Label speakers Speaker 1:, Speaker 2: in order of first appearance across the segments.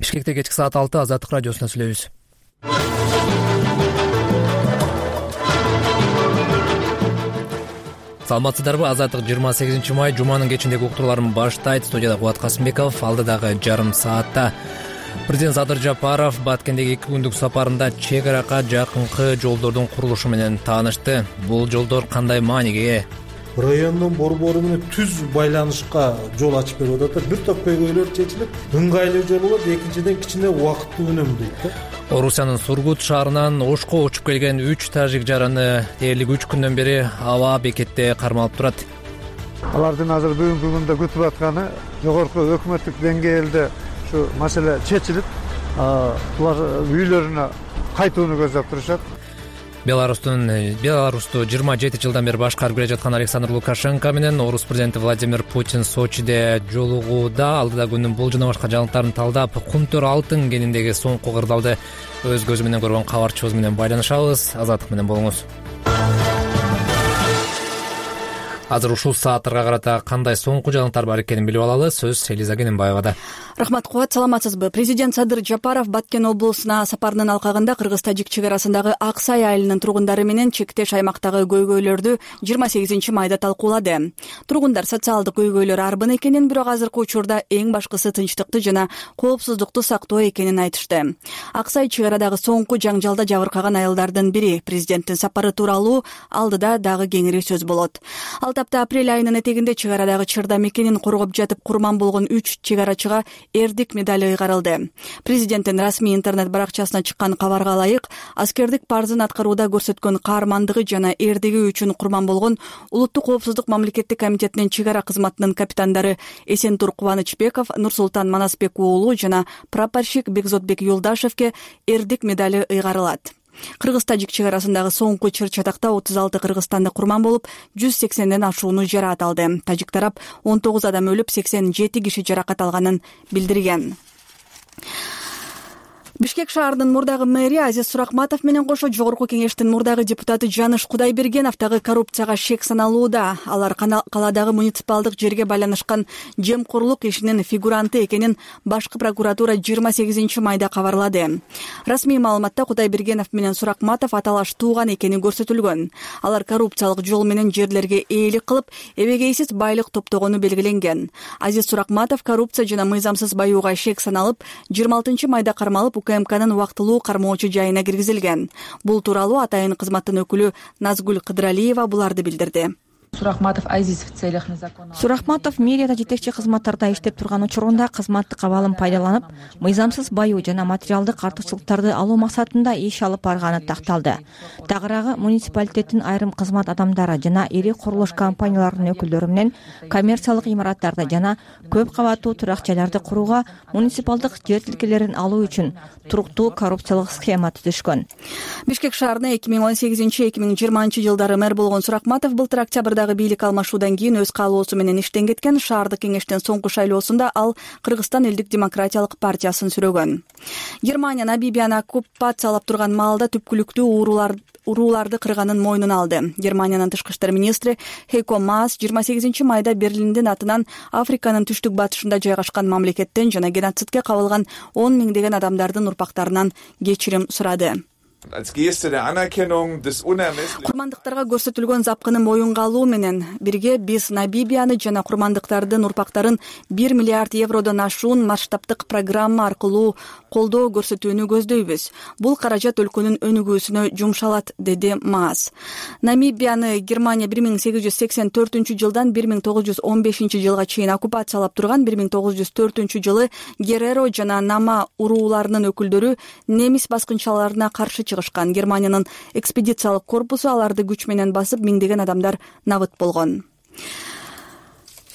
Speaker 1: Бишкекте кечки саат 6 Азаттык радиосунан сүйлөйбүз. Саламатсыздарбы? Азаттык 28 май жуманын кечиндеги уктурууларын баштайт. Студияда Кубат Касымбеков. Алдыдагы жарым саатта президент Садыр Жапаров Баткендеги 2 күндүк сапарында чек аракка жакынкы жолдордун курулушу менен таанышты. Бул жолдор кандай мааниге ээ?
Speaker 2: Райондун борбору менен түз байланышка жол ачып берип атат. Бир топ көйгөйлөр чечилип, ыңгайлуу жол болот, экинчиден кичине убакытты үнөмдөйт да.
Speaker 1: Орусиянын Сургут шаарынан Ошко учуп келген 3 тажик жараны дээрлик 3 күндөн бери аба бекетте кармалып турат.
Speaker 3: Алардын азыр бүгүнкү күндө күтүп атканы жогорку өкмөттүк деңгээлде ушу маселе чечилип, булар үйлөрүнө кайтууну көздөп турушат.
Speaker 1: Беларусту 27 жылдан бери башкарып келе жаткан Александр Лукашенко менен Орус президенти Владимир Путин Сочиде жолугууда. Алдыда күндүн бул жана башка жаңылыктарын талдап, Кумтөр алтын кениндеги соңку кырдаалды өз көзү менен көргөн кабарчыбыз менен байланышабыз. Азаттык менен болуңуз. Азыр ушул сааттарга карата кандай соңку жаңылыктар бар экенин билип алалы. Сөз Элиза Кененбаевада.
Speaker 4: Рахмат, Кубат, саламатсызбы? Президент Садыр Жапаров Баткен облусуна сапарынын алкагында Кыргыз-Тажик чек арасындагы Аксай айылынын тургундары менен чектеш аймактагы көйгөйлөрдү 28 майда талкуулады. Тургундар социалдык көйгөйлөр арбын экенин, бирок азыркы учурда эң башкысы тынчтыкты жана коопсуздукту сактоо экенин айтышты. Аксай чек арадагы соңку жаңжалда жабыркаган айылдардын бири. Президенттин сапары тууралуу алдыда дагы кеңири сөз болот. Ал тапта апрель айынын этегинде чек арадагы чырда мекенин коргоп жатып курман болгон 3 чек арачыга эрдик медали ыйгарылды. Президенттин расмий интернет баракчасына чыккан кабарга ылайык, аскердик парзын аткарууда көрсөткөн каармандыгы жана эрдиги үчүн курман болгон Улуттук коопсуздук мамлекеттик комитетинин чек ара кызматынын капитандары Эсентур Кубанычбеков, Нурсултан Манасбек уулу жана прапорщик Бекзотбек Юлдашевке эрдик медали ыйгарылат. Кыргыз-Тажик чек арасындагы соңку чыр-чатакта 36 кыргызстандык курман болуп, 180ден ашууну жараат алды. Тажик тарап 19 адам өлүп, 87 киши жаракат алганын билдирген. Бишкек шаарынын мурдагы мэри Азиз Суракматов менен кошо жогорку кеңештин мурдагы депутаты Жаныш Кудайбергеновдагы коррупцияга шек саналууда. Алар калаадагы муниципалдык жерге байланышкан жемкорлук ишинин фигуранты экенин башкы прокуратура 28 майда кабарлады. Расмий маалыматта Кудайбергенов менен Суракматов аталаш тууган экени көрсөтүлгөн. Алар коррупциялык жол менен жерлерге ээлик кылып, эбегейсиз байлык топтогону белгиленген. Азиз Суракматов коррупция жана мыйзамсыз баюуга шек саналып, 26 майда кармалып УКМКнын убактылуу кармоочу жайына киргизилген. Бул тууралуу атайын кызматтын өкүлү Назгүл Кыдралиева буларды билдирди.
Speaker 5: Суракматов мэрияда жетекчи кызматтарда иштеп турган учурунда кызматтык абалын пайдаланып, мыйзамсыз баюу жана материалдык артыкчылыктарды алуу максатында иш алып барганы такталды. Тагыраагы муниципалитеттин айрым кызмат адамдары жана ири курулуш компанияларынын өкүлдөрү менен коммерциялык имараттарды жана көп кабаттуу турак жайларды курууга, муниципалдык жер тилкелерин алуу үчүн туруктуу коррупциялык схема түзүшкөн.
Speaker 4: Бишкек шаарына 2018-2020 жылдары мэр болгон Суракматов былтыр октябрда бийлик алмашуудан кийин өз каалоосу менен иштен кеткен. Шаардык кеңештин соңку шайлоосунда ал Кыргызстан элдик демократиялык партиясын сүрөгөн. Германия Намибияны оккупациялап турган маалда түпкүлүктүү урууларды кырганын мойнуна алды. Германиянын тышкы иштер министри Хейко Маас 28 майда Берлиндин атынан Африканын түштүк батышында жайгашкан мамлекеттен жана геноцидке кабылган 10 миңдеген адамдардын урпактарынан кечирим сурады. Курмандыктарга көрсөтүлгөн запкыны моюнга алуу менен бирге биз Намибияны жана курмандыктардын урпактарын 1 миллиард евродон ашуун масштабтык программа аркылуу колдоо көрсөтүүнү көздөйбүз. Бул каражат өлкөнүн өнүгүүсүнө жумшалат, деди Маас. Намибияны Германия 1884 жылдан 1915 жылга чейин оккупациялап турган. 1904 жылы Гереро жана Нама урууларынын өкүлдөрү немис баскынчыларына каршы чыгышкан. Германиянын экспедициялык корпусу аларды күч менен басып, миңдеген адамдар набыт болгон.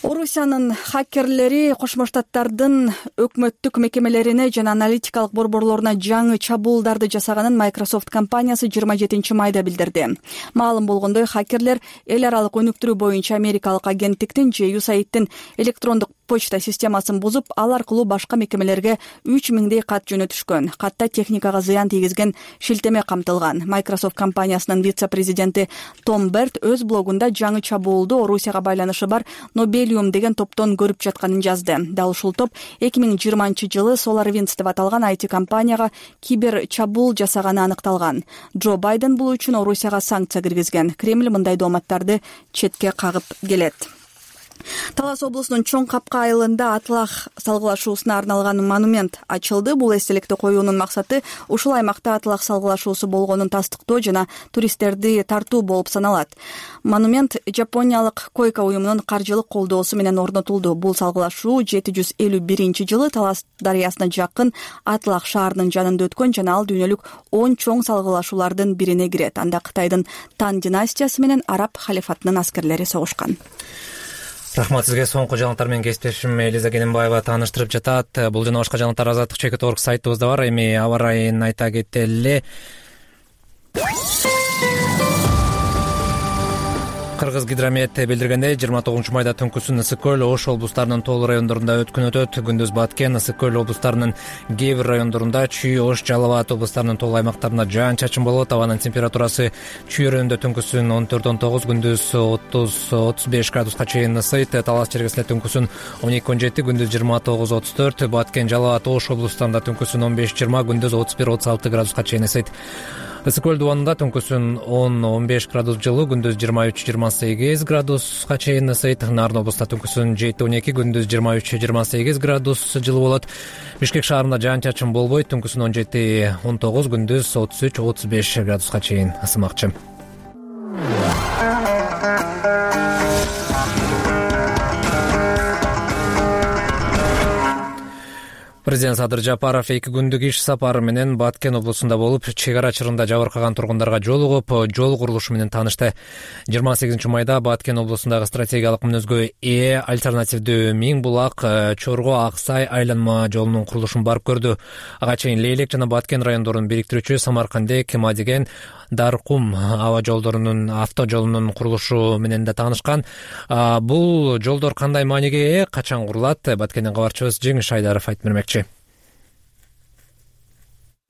Speaker 4: Орусиянын хакерлери Кошмо Штаттардын өкмөттүк мекемелерине жана аналитикалык борборлоруна жаңы чабуулдарды жасаганын Microsoft компаниясы 27 майда билдирди. Маалым болгондой, хакерлер эл аралык өнүктүрүү боюнча америкалык агенттиктин же USAID-тин электрондук почта системасын бузуп, ал аркылуу башка мекемелерге 3000 кат жөнөтүшкөн. Катта техникага зыян тийгизген шилтеме камтылган. Microsoft компаниясынын вице-президенти Том Берт өз блогунда жаңы чабуулду Орусияга байланышы бар Нобель Stellium деген топтон көрүп жатканын жазды. Дал ушул топ 2020-жылы SolarWinds деп аталган IT компанияга кибер чабуул жасаганы аныкталган. Джо Байден бул үчүн Орусияга санкция киргизген. Кремль мындай дооматтарды четке кагып келет. Талас облусунун Чоң Капка айылында атлах салгылашуусуна арналган монумент ачылды. Бул эстеликти коюунун максаты ушул аймакта атлах салгылашуусу болгонун тастыктоо жана туристтерди тартуу болуп саналат. Монумент Жапониялык Койка уюмунун каржылык колдоосу менен орнотулду. Бул салгылашуу 751-жылы Талас дарыясына жакын Атлах шаарынын жанында өткөн жана ал дүйнөлүк 10 чоң салгылашуулардын бирине кирет. Анда Кытайдын Тан династиясы менен араб халифатынын аскерлери согушкан.
Speaker 1: Рахмат сизге. Соңку жаңылыктар менен кесиптешим Элиза Кененбаева тааныштырып жатат. Бул жана башка жаңылыктар Азаттык.org сайтыбызда бар. Эми аба ырайын айта кетели. Кыргыз гидромет билдиргендей 29 майда түнкүсүн Ысык көл, Ош облустарынын тоолуу райондорунда өткөн өтөт. Күндүз Баткен, Ысык көл облустарынын кээ бир райондорунда, Чүй, Ош, Жалал Абад облустарынын тоолуу аймактарында жаан-чачын болот. Абанын температурасы Чүй районунда түнкүсүн 14-19, күндүз 30-35 градуска чейин ысыйт. Талас чергесинде түнкүсүн 12-17, күндүз 29-34, Баткен, Жалал Абад, Ош облустарында түнкүсүн 15-20, күндүз 31-36 градуска чейин ысыйт. Ысык көл дубанында түнкүсүн 10-15 градус жылуу, күндүз 23-28 градуска чейин ысыйт. Нарын облустта түнкүсүн 7-12, күндүз 23-28 градус жылуу болот. Бишкек шаарында жаан-чачын болбойт, түнкүсүн 17-19, күндүз 33-35 градуска чейин ысымакчы. Президент Садыр Жапаров 2 күндүк иш сапары менен Баткен облусунда болуп, чек ара чырында жабыркаган тургундарга жолугуп, жол курулушу менен таанышты. 28-майда Баткен облусундагы стратегиялык мүнөзгө ээ альтернативдүү Миң Булак Чорго Аксай айланма жолунун курулушун барып көрдү. Ага чейин Лейлек жана Баткен райондорун бириктирүүчү Самаркандек, Мадиген, Даркум аба жолдорунун автожолунун курулушу менен да таанышкан. Бул жолдор кандай мааниге ээ, качан курулат? Баткенден кабарчыбыз Жеңиш Айдаров айтып бермекчи.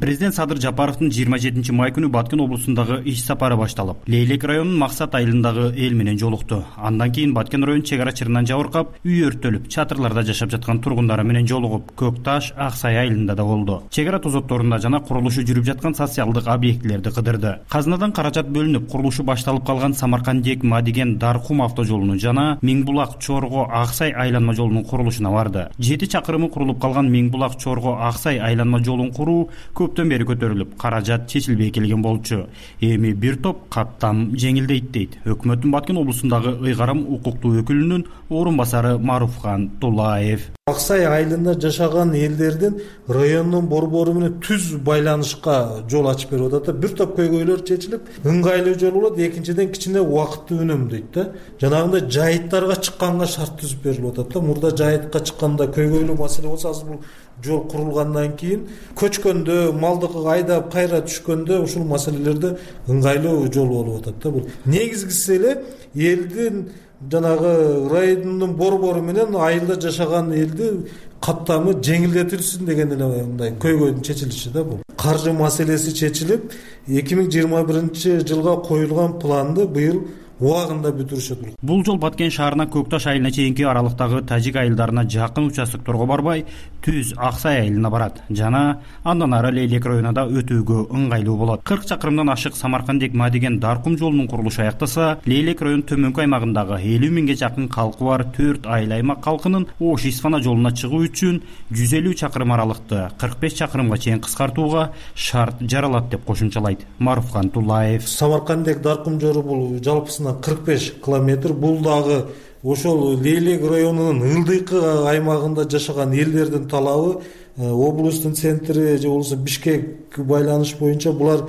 Speaker 6: Президент Садыр Жапаровдун 27 май күнү Баткен облусундагы иш сапары башталып, Лейлек районунун Максат айылындагы эл менен жолукту. Андан кийин Баткен районунун чек ара чырынан жабыркап, үй өрттөлүп, чатырларда жашап жаткан тургундары менен жолугуп, Көк Таш, Аксай айылында да болду. Чек ара тозотторунда жана курулушу жүрүп жаткан социалдык объектилерди кыдырды. Казынадан каражат бөлүнүп, курулушу башталып калган Самаркандек, Мадиген, Даркум автожолунун жана Миң Булак, Чорго, Аксай айланма жолунун курулушуна барды. 7 чакырымы курулуп калган Миң Булак, Чорго, Аксай айланма жолун куруу көптөн бери көтөрүлүп, каражат чечилбей келген болчу. Эми бир топ каттам жеңилдейт дейт өкмөттүн Баткен облусундагы ыйгарым укуктуу өкүлүнүн орун басары Маруфхан Тулаев.
Speaker 2: Аксай айылында жашаган элдердин райондун борбору менен түз байланышка жол ачып берип атат. Бир топ көйгөйлөр чечилип, ыңгайлуу жол болот. Экинчиден кичине убакытты үнөмдөйт да. Жанагындай жайыттарга чыкканга шарт түзүп берилип атат да. Мурда жайытка чыкканда көйгөйлүү маселе болсо, азыр бул жол курулгандан кийин көчкөндө, малды айдап кайра түшкөндө ушул маселелерде ыңгайлуу жол болуп атат да. Бул негизгиси эле элдин жанагы райондун борбору менен айылда жашаган элди каттамы жеңилдетилсин деген эле мындай көйгөйдүн чечилиши да бул. Каржы маселеси чечилип, 2021-жылга коюлган планды быйыл убагында бүтүрүшөт.
Speaker 6: Бул жол Баткен шаарына Көк Таш айылына чейинки аралыктагы тажик айылдарына жакын участокторго барбай, түз Аксай айылына барат жана андан ары Лейлек районуна да өтүүгө ыңгайлуу болот. 40 чакырымдан ашык Самаркандек, Мадиген, Даркум жолунун курулушу аяктаса, Лейлек районунун төмөнкү аймагындагы 50 миңге жакын калкы бар 4 айыл аймак калкынын Ош Исфана жолуна чыгуу үчүн 150 чакырым аралыкты 45 чакырымга чейин кыскартууга шарт жаралат деп кошумчалайт Маруфхан Тулаев.
Speaker 2: Самаркандек, Даркум жолу бул жалпысына 45 километр. Бул дагы ошол Лейлек районунун ылдыйкы аймагында жашаган элдердин талабы. Облустун центри же болбосо Бишкек байланыш боюнча булар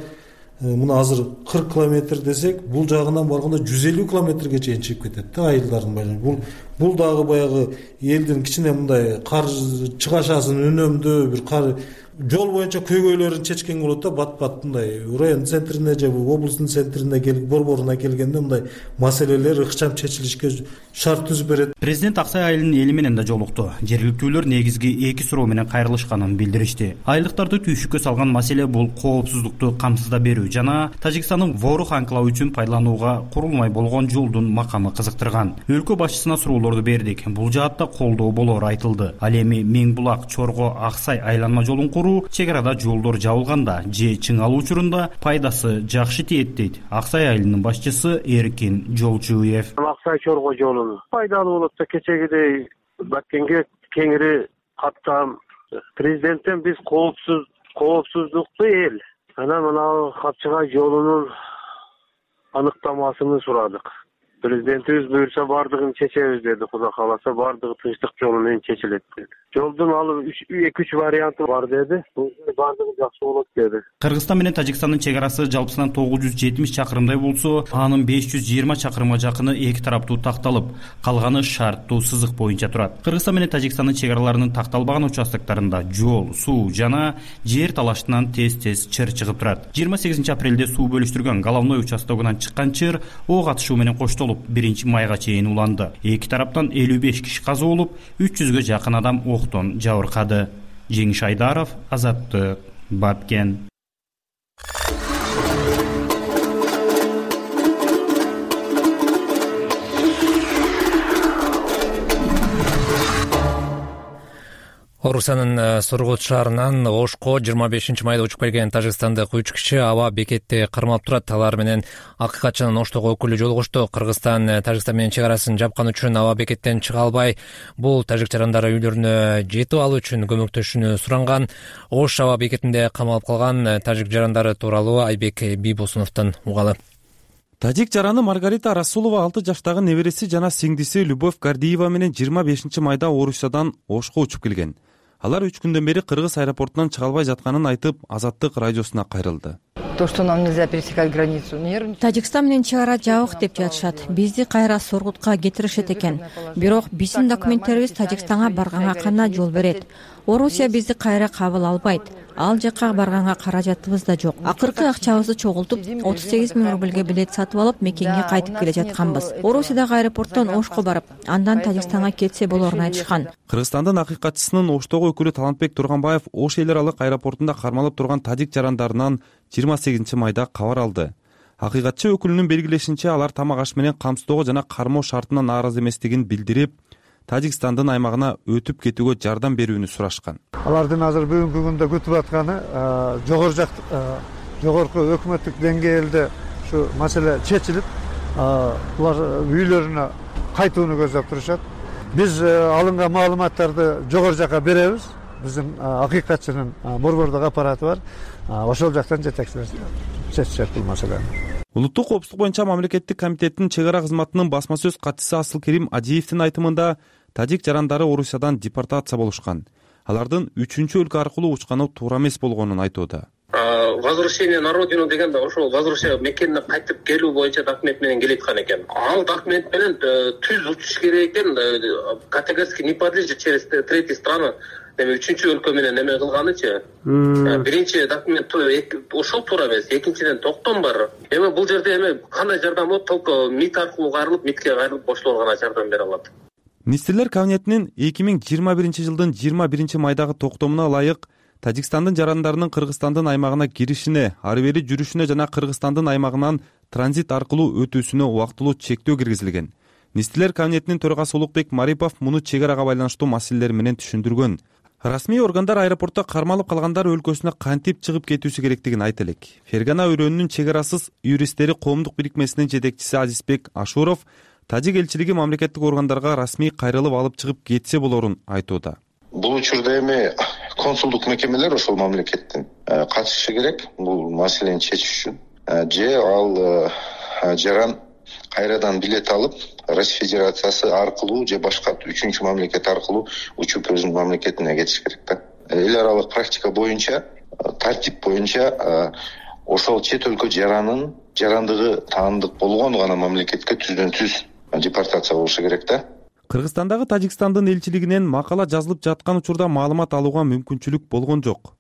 Speaker 2: мына азыр 40 километр десек, бул жагынан барганда 150 километрге чейин чыгып кетет да айылдардын байланышы. Бул дагы баягы элдин кичине мындай кар чыгашасын үнөмдөө, бир кар жол боюнча көйгөйлөрүн чечкен болот да. Бат мындай район центрине же облустун центрине борборуна келгенде мындай маселелер ыкчам чечилишке шарт түзүп берет.
Speaker 6: Президент Аксай айылынын эли менен да жолукту. Жергиликтүүлөр негизги 2 суроо менен кайрылышканын билдиришти. Айылдыктарды түйшүккө салган маселе бул коопсуздукту камсыздап берүү жана Тажикстандын Ворух анклавы үчүн пайдаланууга курулмай болгон жолдун макамы кызыктырган. Өлкө башчысына суроолор долбоорду бердик. Бул жаатта колдоо болоору айтылды. Ал эми Мең Булак Чорго Аксай айланма жолун куруу, чек арада жолдор жабылганда же чыңалуу учурунда пайдасы жакшы тиет дейт Аксай айылынын башчысы Эркин Жолчуев.
Speaker 7: Аксай Чорго жолу пайдалуу болот да, кечегидей Баткенге кеңири каттам. Президенттен биз коопсуздукту эл, анан мына Капчыгай жолунун аныктамасын сурадык. Президентибиз буйрса бардыгын чечебиз деди. Кудай кааласа бардыгы тынчтык жолу менен чечилет деди. Жолдун алып 2-3 варианты бар деди. Бардыгы жакшы болот деди.
Speaker 6: Кыргызстан менен Тажикстандын чек арасы жалпысынан 970 чакырымдай болсо, анын 520 чакырымга жакыны эки тараптуу такталып, калганы шарттуу сызык боюнча турат. Кыргызстан менен Тажикстандын чек араларынын такталбаган участоктарында жол, суу жана жер талаштынан тез-тез чыр чыгып турат. 28 апрелде суу бөлүштүргөн головной участогунан чыккан чыр ок атышуу менен коштолуп 1 майга чейин уланды. Эки тараптан 55 киши каза болуп, 300гө жакын адам октон жабыркады. Жеңиш Айдаров, Азаттык, Баткен.
Speaker 1: Орусиянын Сургут шаарынан Ошко 25 майда учуп келген тажикстандык 3 киши аба бекетте кармалып турат. Алар менен акыйкатчынын Оштогу өкүлү жолугушту. Кыргызстан Тажикстан менен чек арасын жапкан үчүн аба бекеттен чыга албай, бул тажик жарандары үйлөрүнө жетип алуу үчүн көмөктөшүүнү суранган. Ош аба бекетинде камалып калган тажик жарандары тууралуу Айбек Бийбосуновдон угалы.
Speaker 8: Тажик жараны Маргарита Расулова 6 жаштагы небереси жана сиңдиси Любовь Гардиева менен 25 майда Орусиядан Ошко учуп келген. Алар 3 күндөн бери Кыргыз аэропортунан чыга албай жатканын айтып, Азаттык радиосуна кайрылды.
Speaker 9: То, что нам нельзя пересекать границу.
Speaker 5: Тажикстан менен чек ара жабык деп жатышат. Бизди кайра Сургутка кетиришет экен. Бирок биздин документтерибиз Тажикстанга барганга гана жол берет. Орусия бизди кайра кабыл албайт. Ал жака барганга каражатыбыз да жок. Акыркы акчабызды чогултуп 38 000 рубльге билет сатып алып мекенге кайтып келе жатканбыз. Орусиядагы аэропорттон Ошко барып, андан Тажикстанга кетсе болоорун айтышкан.
Speaker 8: Кыргызстандын акыйкатчысынын Оштогу өкүлү Талантбек Турганбаев Ош эл аралык аэропортунда кармалып турган тажик жарандарынан 28 майда кабар алды. Акыйкатчы өкүлүнүн белгилешинче, алар тамак аш менен камсыздоого жана кармоо шартына нааразы эместигин билдирип, Тажикстандын аймагына өтүп кетүүгө жардам берүүнү сурашкан.
Speaker 3: Алардын азыр бүгүнкү күндө күтүп атканы жогорку өкмөттүк деңгээлде ушу маселе чечилип, булар үйлөрүнө кайтууну көздөп турушат. Биз алынган маалыматтарды жогору жака беребиз. Биздин акыйкатчынын борбордук аппараты бар. Ошол жактан чечишет бул маселени.
Speaker 8: Улуттук коопсуздук боюнча мамлекеттик комитеттин чек ара кызматынын басма сөз катчысы Асылкерим Ажиевдин айтымында, тажик жарандары Орусиядан депортация болушкан. Алардын 3-өлкө аркылуу учканы туура эмес болгонун айтууда.
Speaker 10: Возвращение на родину дегенде ошол возвращение мекенине кайтып келүү боюнча документ менен келеткан экен. Ал документ менен түз учуш керек экен, категорически не подлежит через третьи страны. Эми 3-өлкө менен эме кылганычы. Биринчи документ ошол туура эмес, экинчиден токтом бар. Эми бул жерде эми кандай жардам болот? Только МИД аркылуу кайрылып, МИДке кайрылып боштолор гана жардам бере алат.
Speaker 8: Министрлер кабинетинин 2021 жылдын 21 майдагы токтомуна ылайык Тажикстандын жарандарынын Кыргызстандын аймагына киришине, ары бери жүрүшүнө жана Кыргызстандын аймагынан транзит аркылуу өтүүсүнө убактылуу чектөө киргизилген. Министрлер кабинетинин төрагасы Улукбек Марипов муну чек арага байланыштуу маселелер менен түшүндүргөн. Расмий органдар аэропортто кармалып калгандар өлкөсүнө кантип чыгып кетүүсү керектигин айтып элек. Фергана өрөөнүнүн чек арасыз юристтери коомдук бирикмесинин жетекчиси Азизбек Ашуров тажик элчилиги мамлекеттик органдарга расмий кайрылып алып чыгып кетсе болорун айтууда.
Speaker 11: Бул учурда эми консулдук мекемелер ошол мамлекеттин катышышы керек бул маселени чечиш үчүн. Же ал жаран кайрадан билет алып Россия Федерациясы аркылуу же башка 3-чү мамлекет аркылуу учуп өзүнүн мамлекетине кетиш керек да. Эл аралык практика боюнча, тартип боюнча ошол чет өлкө жарандыгы таандык болгон гана мамлекетке түздөн-түз депортация болушу керек да.
Speaker 8: Кыргызстандагы Тажикстандын элчилигинен макала жазылып жаткан учурда маалымат алууга мүмкүнчүлүк болгон жок.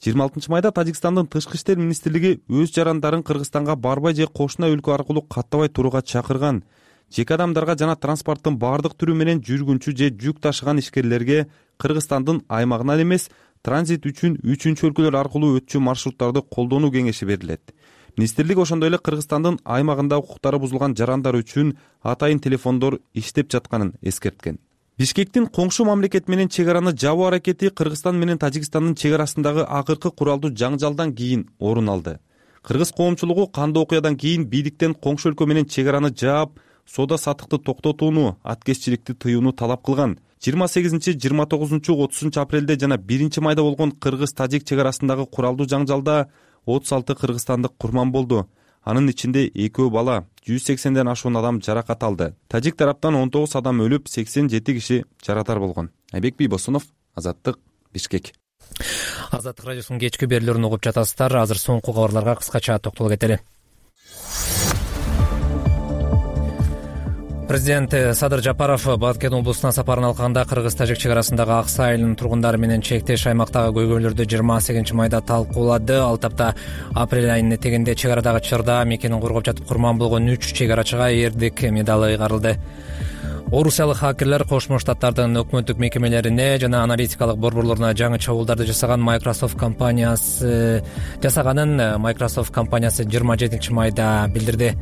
Speaker 8: 26 майда Тажикстандын Тышкы иштер министрлиги өз жарандарын Кыргызстанга барбай же кошуна өлкө аркылуу каттабай турууга чакырган. Жеке адамдарга жана транспорттун бардык түрү менен жүргүнчү же жүк ташыган ишкерлерге Кыргызстандын аймагынан эмес, транзит үчүн 3-өлкөлөр аркылуу өтчү маршруттарды колдонуу кеңеши берилет. Министрлик ошондой эле Кыргызстандын аймагында укуктары бузулган жарандар үчүн атайын телефондор иштеп жатканын эскерткен. Бишкектин коңшу мамлекет менен чек араны жабуу аракети Кыргызстан менен Тажикстандын чек арасындагы акыркы куралдуу жаңжалдан кийин орун алды. Кыргыз коомчулугу кандуу окуядан кийин бийликтен коңшу өлкө менен чек араны жаап, соода саттыкты токтотууну, аткезчиликти тыюуну талап кылган. 28, 29, 30 апрелде жана 1 майда болгон Кыргыз-Тажик чек арасындагы куралдуу жаңжалда 36 кыргызстандык курман болду. Анын ичинде 2 бала, 180ден ашуун адам жаракат алды. Тажик тараптан 19 адам өлүп, 87 киши жарадар болгон. Айбек Бийбосунов, Азаттык, Бишкек.
Speaker 1: Азаттык радиосунун кечки берүүлөрүн угуп жатасыздар. Азыр соңку кабарларга кыскача токтоло кетели. Президент Садыр Жапаров Баткен облусуна сапарын алганда Кыргыз-Тажик чек арасындагы Аксай айылынын тургундары менен чектеш аймактагы көйгөйлөрдү 28 майда талкуулады. Ал тапта апрель айынын этегинде чек арадагы чырда мекенин коргоп жатып курман болгон 3 чек арачыга эрдик медалы ыйгарылды. Орусиялык хакерлер Кошмо Штаттардын өкмөттүк мекемелерине жана аналитикалык борборлоруна жаңы чабуулдарды жасаганын Microsoft компаниясы 27 майда билдирди.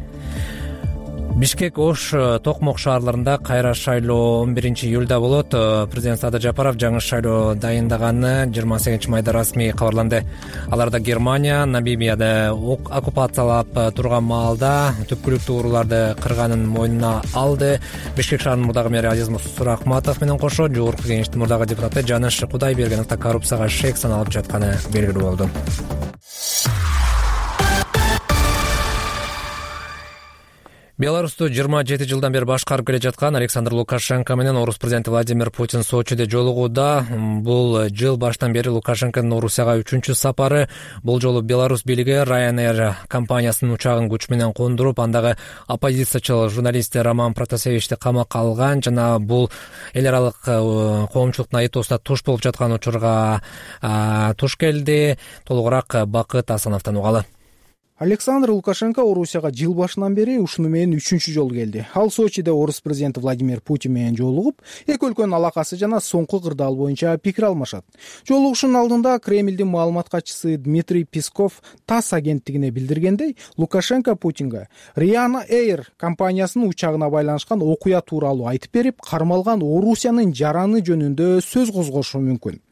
Speaker 1: Бишкек, Ош, Токмок шаарларында кайра шайлоо 11 июлда болот. Президент Садыр Жапаров жаңы шайлоо дайындаганы 28 майда расмий кабарланды. Аларда Германия, Намибияда оккупациялап турган маалда түпкүлүктүү урууларды кырганын мойнуна алды. Бишкек шаарынын мурдагы мэри Азиз Сурахматов менен кошо жогорку кеңештин мурдагы депутаты Жаныш Кудайбергеновду коррупцияга шек саналып жатканы белгилүү болду. Беларусьту 27 жылдан бери башкарып келе жаткан Александр Лукашенко менен орус президенти Владимир Путин Сочиде жолугууда. Бул жыл баштан бери Лукашенконун Орусияга 3-чү сапары. Бул жолу Беларусь бийлиги Ryanair компаниясынын учагын күч менен кондуруп, андагы оппозициячыл журналист Роман Протасевичти камакка алган жана бул эл аралык коомчулуктун айтуусуна туш болуп жаткан учурга туш келди. Толугураак Бакыт Асановдон угалы.
Speaker 12: Александр Лукашенко Орусияга жыл башынан бери ушуну менен 3-чү жолу келди. Ал Сочиде орус президенти Владимир Путин менен жолугуп, эки өлкөнүн алакасы жана соңку кырдаал боюнча пикир алмашат. Жолугушуунун алдында Кремлдин маалымат катчысы Дмитрий Песков ТАСС агенттигине билдиргендей, Лукашенко Путинге Ryanair компаниясынын учагына байланышкан окуя тууралуу айтып берип, кармалган Орусиянын жараны жөнүндө сөз козгошу мүмкүн.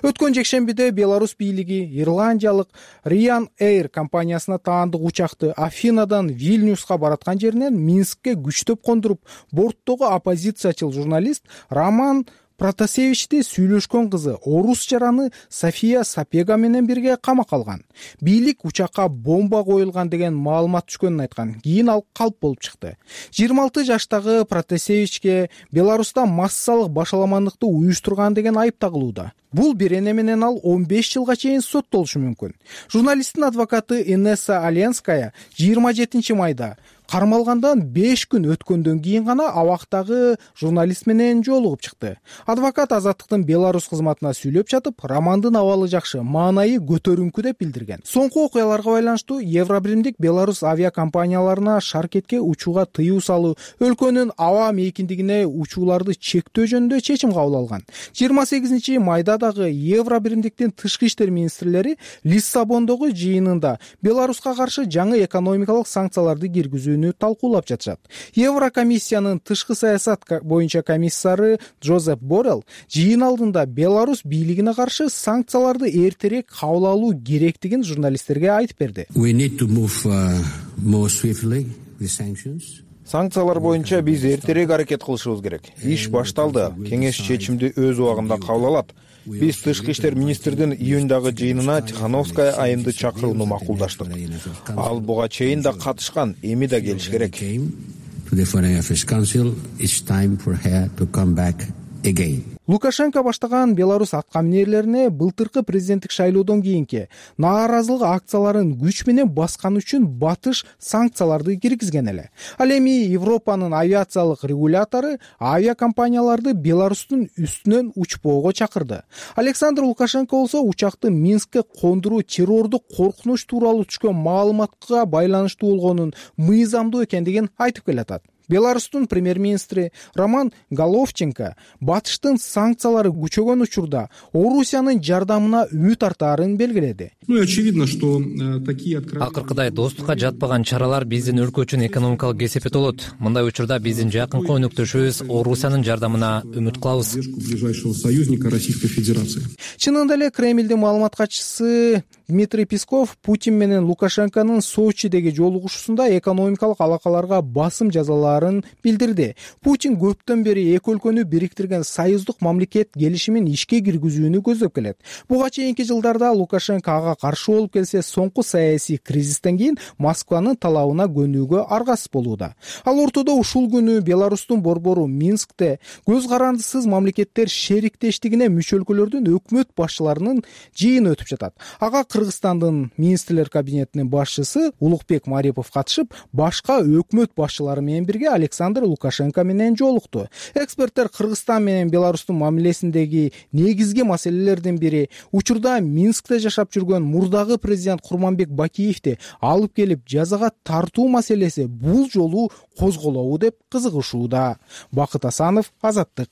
Speaker 12: Өткөн жекшембиде Беларусь бийлиги ирландиялык Ryanair компаниясына таандык учакты Афинадан Вильнюска бараткан жеринен Минскке күчтөп кондуруп, борттогу оппозициячыл журналист Роман Протасевичти сүйлөшкөн кызы орус жараны София Сапега менен бирге камакка алган. Бийлик учакка бомба коюлган деген маалымат түшкөнүн айткан. Кийин ал калп болуп чыкты. 26 жаштагы Протасевичке Беларуста массалык башаламандыкты уюштурган деген айып тагылууда. Бул бирене менен ал 15 жылга чейин соттолушу мүмкүн. Журналисттин адвокаты Инесса Аленская 27 майда кармалгандан 5 күн өткөндөн кийин гана абактагы журналист менен жолугуп чыкты. Адвокат Азаттыктын Беларусь кызматына сүйлөп жатып, романдын абалы жакшы, маанайы көтөрүңкү деп билдирген. Соңку окуяларга байланыштуу Евробиримдик Беларусь авиакомпанияларына шаркетке учууга тыюу салуу, өлкөнүн аба мейкиндигине учууларды чектөө жөнүндө чечим кабыл алган. 28 майда дагы Евробиримдиктин тышкы иштер министрлери Лиссабондогу жыйынында Беларуска каршы жаңы экономикалык санкцияларды киргизүүнү талкуулап жатышат. Еврокомиссиянын тышкы саясат боюнча комиссары Джозеф Боррелл жыйын алдында Беларусь бийлигине каршы санкцияларды эртерээк кабыл алуу керектигин журналисттерге айтып берди.
Speaker 13: Санкциялар боюнча биз эртерээк аракет кылышыбыз керек. Иш башталды. Кеңеш чечимди өз убагында кабыл алат. Биз тышкы иштер министрдин июндагы жыйынына Тихановская айымды чакырууну макулдаштык. Ал буга чейин да катышкан, эми да келиш керек.
Speaker 12: Лукашенко баштаган Беларусь аткаминерлерине былтыркы президенттик шайлоодон кийинки нааразылык акцияларын күч менен баскан үчүн батыш санкцияларды киргизген эле. Ал эми Европанын авиациялык регулятору авиакомпанияларды Беларустун үстүнөн учпоого чакырды. Александр Лукашенко болсо учакты Минскке кондуруу террордук коркунуч тууралуу түшкөн маалыматка байланыштуу болгонун мыйзамдуу экендигин айтып келатат. Беларустун премьер-министри Роман Головченко батыштын санкциялары күчөгөн учурда Орусиянын жардамына үмүт артаарын белгиледи.
Speaker 14: Очевидно, что такие
Speaker 1: акыркыдай достукка жатпаган чаралар биздин өлкө үчүн экономикалык кесепет болот. Мындай учурда биздин жакынкы өнөктөшүбүз Орусиянын жардамына үмүт кылабыз.
Speaker 14: ближайшего союзника Российской Федерации.
Speaker 12: Чынында эле Кремлдин маалымат катчысы Дмитрий Песков Путин менен Лукашенконун Сочидеги жолугушуусунда экономикалык алакаларга басым жазаларын билдирди. Путин көптөн бери эки өлкөнү бириктирген союздук мамлекет келишимин ишке киргизүүнү көздөп келет. Буга чейинки жылдарда Лукашенко ага каршы болуп келсе, соңку саясий кризистен кийин Москванын талабына көнүүгө аргасыз болууда. Ал ортодо ушул күнү Беларустун борбору Минскте көз карандысыз мамлекеттер шериктештигине мүчө өлкөлөрдүн өкмөт башчыларынын жыйыны өтүп жатат. Ага Кыргызстандын министрлер кабинетинин башчысы Улукбек Марипов катышып, башка өкмөт башчылары менен бирге Александр Лукашенко менен жолукту. Эксперттер Кыргызстан менен Беларустун мамилесиндеги негизги маселелердин бири учурда Минскте жашап жүргөн мурдагы президент Курманбек Бакиевди алып келип жазага тартуу маселеси бул жолу козголобу деп кызыгышууда. Бакыт Асанов, Азаттык.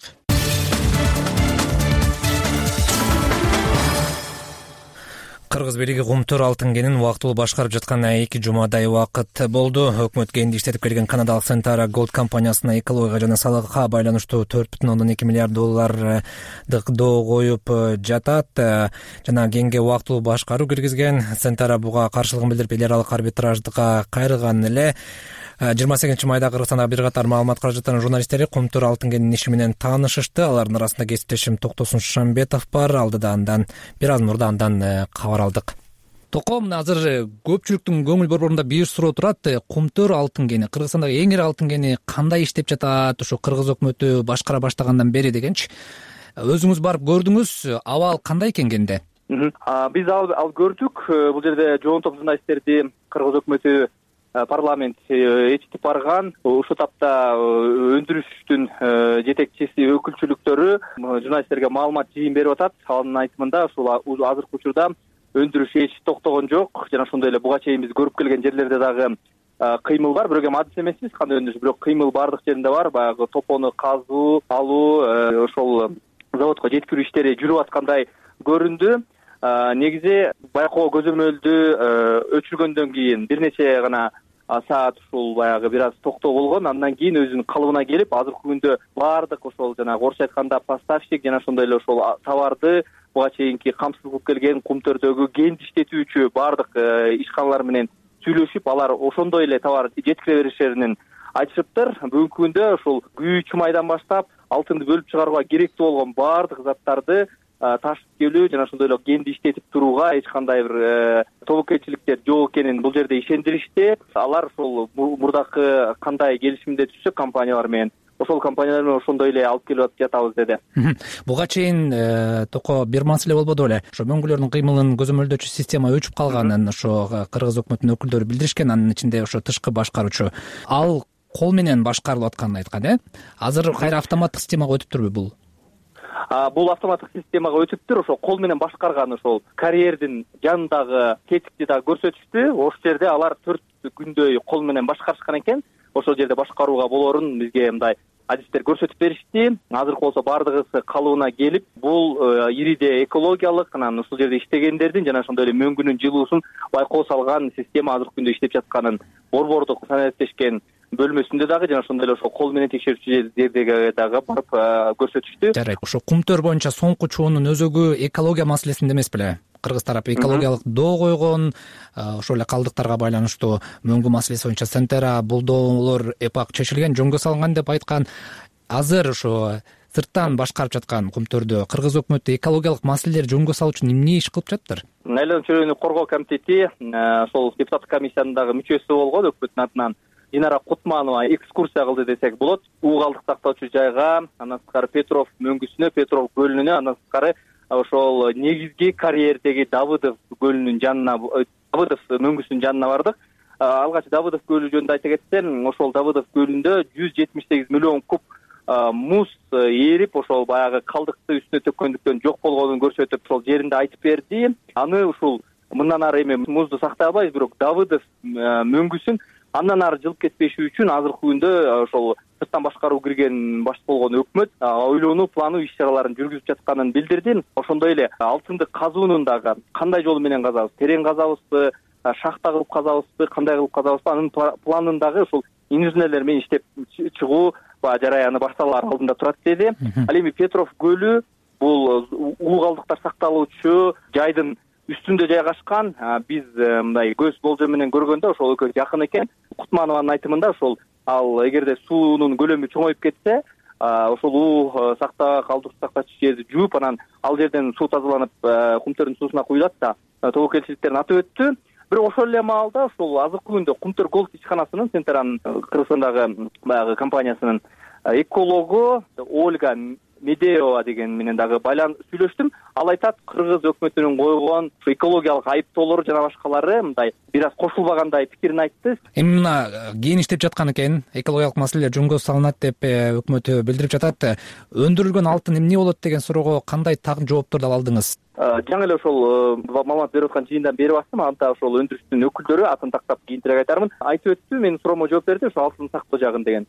Speaker 1: Кыргыз бийлиги Кумтөр алтын кенин убактылуу башкарып жатканына 2 жумадай убакыт болду. Өкмөт кенди иштетип келген канадалык Centara Gold компаниясына экологияга жана салыкка байланыштуу 4,2 миллиард доллардык доо коюп жатат. Жана кенге убактылуу башкаруу киргизген. Centara буга каршылыгын билдирип эл аралык арбитраждыкка кайрылган эле. 28 майда Кыргызстанда бир катар маалымат каражаттарынын журналисттери Кумтөр алтын кенинин иши менен таанышышты. Алардын арасында кесиптешим Токтосун Шамбетов бар. Алдыда андан бир аз мурда андан кабар алдык. Токо, мына азыр көпчүлүктүн көңүл борборунда бир суроо турат. Кумтөр алтын кени, Кыргызстандагы эң ири алтын кени кандай иштеп жатат? Ошо Кыргыз өкмөтү башкара баштагандан бери дегенчи. Өзүңүз барып көрдүңүз, абал кандай экен кенде?
Speaker 15: Биз ал көрдүк. Бул жерде жоон топ журналисттерди Кыргыз өкмөтү парламент ээрчитип барган. Ушул тапта өндүрүштүн жетекчиси өкүлчүлүктөрү журналисттерге маалымат жыйын берип атат. Анын айтымында ушул азыркы учурда өндүрүш эч токтогон жок. Жана ошондой эле буга чейин биз көрүп келген жерлерде дагы кыймыл бар. Бирок эми адыс эмеспиз кандай өндүрүш, бирок кыймыл бардык жеринде бар. Баягы топону казуу, алуу, ошол заводко жеткирүү иштери жүрүп аткандай көрүндү. Негизи байкоо көзөмөлдү өчүргөндөн кийин бир нече гана саат ушул баягы бир аз токтоо болгон. Андан кийин өзүнүн калыбына келип, азыркы күндө баардык ошол жанагы орусча айтканда поставщик жана ошондой эле ошол товарды буга чейинки камсыз кылып келген Кумтөрдөгү кенди иштетүүчү баардык ишканалар менен сүйлөшүп, алар ошондой эле товар жеткире беришерин айтышыптыр. Бүгүнкү күндө ушул күйүүчү майдан баштап алтынды бөлүп чыгарууга керектүү болгон баардык заттарды ташып келүү жана ошондой эле кенди иштетип турууга эч кандай бир тобокелчиликтер жок экенин бул жерде ишендиришти. Алар ошол мурдакы кандай келишимде түшсөк компаниялар менен, ошол компаниялар менен ошондой эле алып келип жатабыз деди.
Speaker 1: Буга чейин токо бир маселе болбоду беле? Ошо мөңгүлөрдүн кыймылын көзөмөлдөөчү система өчүп калганын ошо Кыргыз өкмөтүнүн өкүлдөрү билдиришкен. Анын ичинде ошо тышкы башкаруучу ал кол менен башкарылып атканын айткан, Азыр кайра автоматтык системага өтүптүрбү бул?
Speaker 15: Бул автоматтык системага өтүптүр. Ошол кол менен башкарган ошол карьердин жанындагы кетикти дагы көрсөтүштү. Ошол жерде алар 4 күндөй кол менен башкарышкан экен. Ошол жерде башкарууга болорун бизге мындай адистер көрсөтүп беришти. Азыркы болсо баардыгысы калыбына келип, бул ириде экологиялык, анан ушул жерде иштегендердин жана ошондой эле мөңгүнүн жылуусун байкоо салган система азыркы күндө иштеп жатканын борбордук санариптешкен бөлмөсүндө дагы жана ошондой эле ошол кол менен текшерүүчү жердеги дагы барып көрсөтүштү.
Speaker 1: Жарайт. Ошо Кумтөр боюнча соңку чуунун өзөгү экология маселесинде эмес беле? Кыргыз тарапы экологиялык доо койгон, ошол эле калдыктарга байланыштуу мөңгү маселеси боюнча Centara бул доолор эпак чечилген, жөнгө салынган деп айткан. Азыр ошо сырттан башкарып жаткан Кумтөрдө Кыргыз өкмөтү экологиялык маселелерди жөнгө салуу үчүн эмне иш кылып жатыптыр?
Speaker 15: Айланма чөйрөнү коргоо комитети ошол депутаттык комиссиянын дагы мүчөсү болгон, өкмөттүн атынан Динара Кутманова экскурсия кылды десек болот. Уу калдык сактоочу жайга, андан сырткары Петров мөңгүсүнө, Петров көлүнө, андан сырткары ошол негизги карьердеги Давыдов көлүнүн жанына, Давыдов мөңгүсүнүн жанына бардык. Алгач Давыдов көлү жөнүндө айта кетсем, ошол Давыдов көлүндө 178 миллион куб муз эрип, ошол баягы калдыкты үстүнө төккөндүктөн жок болгонун көрсөтүп, ошол жеринде айтып берди. Аны ушул мындан ары эми музду сактай албайбыз, бирок Давыдов мөңгүсүн Андан ары жылып кетпеши үчүн азыркы күндө ошол сырттан башкаруу кирген баш болгон өкмөт ойлонуу плануу иш чараларын жүргүзүп жатканын билдирди. Ошондой эле алтынды казуунун дагы кандай жол менен казабыз, терең казабызбы, шахта кылып казабызбы, кандай кылып казабызбы, анын планын дагы ушул инженерлер менен иштеп чыгуу жараяны башталар алдында турат деди. Ал эми Петров көлү бул улуу калдыктар сакталуучу жайдын үстүндө жайгашкан. Биз мындай көз болжол менен көргөндө ошол экөө жакын экен. Кутманованын айтымында ошол ал эгерде суунун көлөмү чоңоюп кетсе, ошол улуу сактачу жерди жууп, анан ал жерден суу тазаланып, Кумтөрдүн суусуна куюлат да тобокелчиликтерин атып өттү. Бирок ошол эле маалда ошол азыркы күндө Кумтөр Голд ишканасынын Центран Кыргызстандагы баягы компаниясынын экологу Ольга Медеева деген менен дагы сүйлөштүм. Ал айтат, кыргыз өкмөтүнүн койгон экологиялык айыптоолору жана башкалары мындай бир аз кошулбагандай пикирин айтты.
Speaker 1: Эми мына кийин иштеп жаткан экен, экологиялык маселелер жөнгө салынат деп өкмөтү билдирип жатат. Өндүрүлгөн алтын эмне болот деген суроого кандай жоопторду ала алдыңыз?
Speaker 15: Жаңы эле ошол маалымат берип аткан жыйындан берип аттым. Анда ошол өндүрүштүн өкүлдөрү атын тактап кийинирээк айтармын. Айтып өттү, менин суроомо жооп берди, ошо алтын сактоо жагын деген.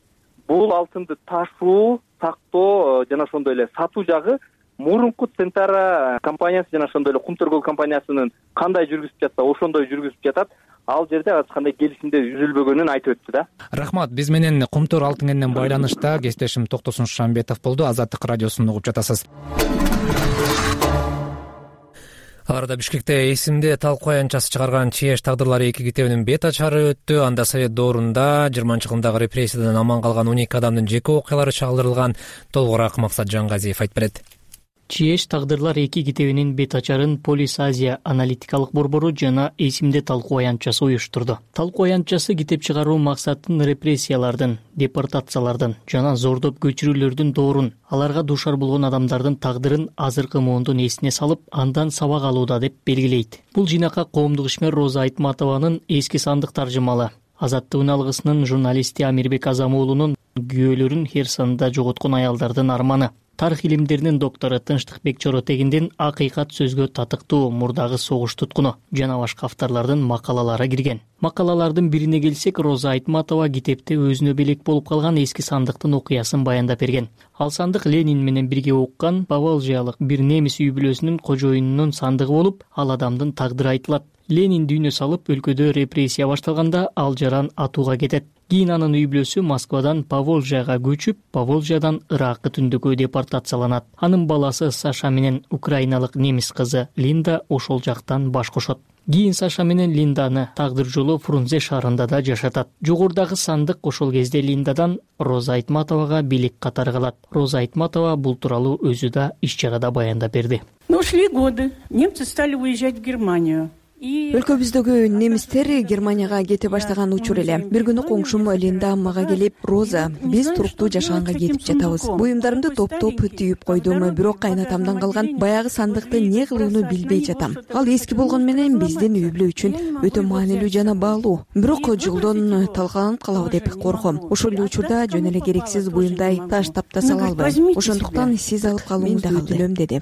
Speaker 15: Бул алтынды ташуу, сактоо жана ошондой эле сатуу жагы мурунку Центара компаниясы жана ошондой эле Кумтөр Голд компаниясынын кандай жүргүзүп жатса, ошондой жүргүзүп жатат. Ал жерде ар кандай келишимдер түзүлбөгөнүн айтып өттү да. Рахмат.
Speaker 1: Биз менен Кумтөр алтын кенинен байланышта кесиптешим Токтосун Шамбетов болду. Азаттык радиосун угуп жатасыз. Арада Бишкекте эсимде талкуу аянтчасы чыгарган ЧС тагдырлары 2 китебинин бет ачары өттү. Анда Совет доорунда 20-жылдагы репрессиядан аман калган 12 адамдын жеке окуялары чагылдырылган. Толугураак Максат Жангазиев айтып берет.
Speaker 16: ЧС тагдырлар 2 китебинин бет ачарын Полис Азия аналитикалык борбору жана эсимде талкуу аянтчасы уюштурду. Талкуу аянтчасы китеп чыгаруу максатын репрессиялардын, депортациялардын жана зордоп көчүрүүлөрдүн доорун, аларга дуушар болгон адамдардын тагдырын азыркы муундун эсине салып, андан сабак алууда деп белгилейт. Бул жыйнакка коомдук ишмер Роза Айтматованын эски сандык таржымалы, Азаттык алгысынын журналисти Амирбек Азамуулунун күйөөлөрүн Херсонда жоготкон аялдардын арманы, тарых илимдеринин доктору Тынчтыкбек Чоротегиндин акыйкат сөзгө татыктуу мурдагы согуш туткуну жана башка авторлордун макалалары кирген. Макалалардын бирине келсек, Роза Айтматова китепте өзүнө белек болуп калган эски сандыктын окуясын баяндап берген. Ал сандык Ленин менен бирге оккан Поволжьялык бир немис үй бүлөсүнүн кожоюнунун сандыгы болуп, ал адамдын тагдыры айтылат. Ленин дүйнө салып, өлкөдө репрессия башталганда ал жаран атууга кетет. Кийин анын үй бүлөсү Москвадан Поволжьяга көчүп, Поволжьядан Иракка түндүккө депортацияланат. Анын баласы Саша менен украиналык немис кызы Линда ошол жактан баш кошот. Кийин Саша менен Линданы тагдыр жолу Фрунзе шаарында да жашатат. Жогорудагы сандык ошол кезде Линдадан Роза Айтматовага белек катары калат. Роза Айтматова бул тууралуу өзү да иш чарада баяндап берди.
Speaker 17: Шли годы, немцы стали уезжать в Германию.
Speaker 18: Өлкөбүздөгү немистер Германияга кете баштаган учур эле. Бир күнү коңшум Линда мага келип, "Роза, биз туруктуу жашаганга кетип жатабыз. Буюмдарымды топтоп түйүп койдум, бирок кайнатамдан калган баягы сандыкты эмне кылууну билбей жатам. Ал эски болгону менен биздин үй бүлө үчүн өтө маанилүү жана баалуу. Бирок жолдон талкаланып калабы деп корком. Ошол эле учурда жөн эле керексиз буюмдай таштап да сала албайм. Ошондуктан сиз алып калууңузду өтүнөм" деди.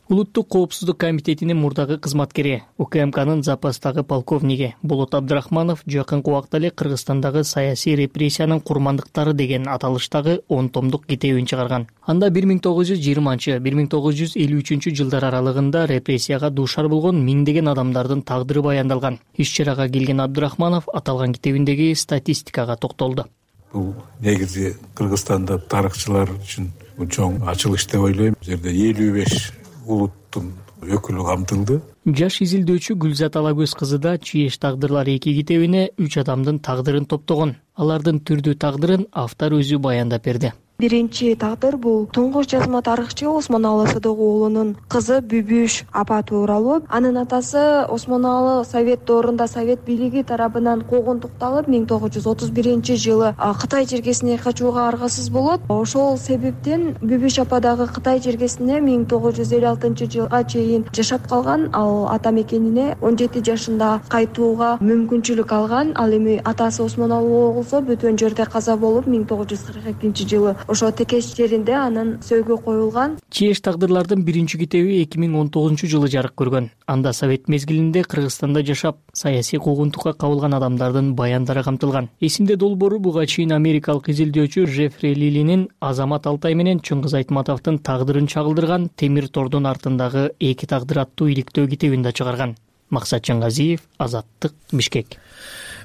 Speaker 16: Улуттук коопсуздук комитетинин мурдагы кызматкери, УКМКнын запастагы полковниги Болот Абдрахманов жакынкы убакта эле Кыргызстандагы саясий репрессиянын курмандыктары деген аталыштагы 10 томдук китебин чыгарган. Анда 1920-1953 жылдар аралыгында репрессияга дуушар болгон миңдеген адамдардын тагдыры баяндалган. Иш чарага келген Абдрахманов аталган китебиндеги статистикага токтолду.
Speaker 19: Бул негизи Кыргызстанда тарыхчылар үчүн чоң ачылыш деп ойлойм. Бул жерде 55 улуттун өкүлү камтылды.
Speaker 16: Жаш изилдөөчү Гүлзат Алагөз кызы да ЧС тагдырлар 2 китебине 3 адамдын тагдырын топтогон. Алардын түрдүү тагдырын автор өзү баяндап берди.
Speaker 20: Биринчи тагдыр бул туңгуч жазма тарыхчы Осмоналы Сыдык уулунун кызы Бүбүш апа тууралуу. Анын атасы Осмоналы Совет доорунда Совет бийлиги тарабынан куугунтукталып 1931 жылы Кытай жергесине качууга аргасыз болот. Ошол себептен Бүбүш апа дагы Кытай жергесине 1956 жылга чейин жашап калган. Ал ата мекенине 17 жашында кайтууга мүмкүнчүлүк алган. Ал эми атасы Осмоналы болсо бөтөн жерде каза болуп 1942 жылы ошо текеш жеринде анын сөөгү коюлган.
Speaker 16: Чееш тагдырлардын биринчи китеби 2019 жарык көргөн. Анда совет мезгилинде Кыргызстанда жашап, саясий куугунтукка кабылган адамдардын баяндары камтылган. Эсимде долбоору буга чейин америкалык изилдөөчү Жеффри Лилинин Азамат Алтай менен Чыңгыз Айтматовдун тагдырын чагылдырган Темир тордун артындагы эки тагдыр аттуу иликтөө китебин да чыгарган. Максат Чаңгазиев, Азаттык, Бишкек.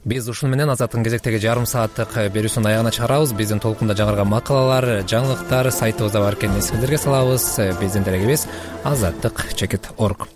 Speaker 1: Биз ушуну менен Азаттын кезектеги жарым сааттык берүүсүнүн аягына чыгарабыз. Биздин толкунда жаңырган макалалар, жаңылыктар сайтыбызда бар экенин эсиңиздерге салабыз. Биздин дарегибиз azattik.org.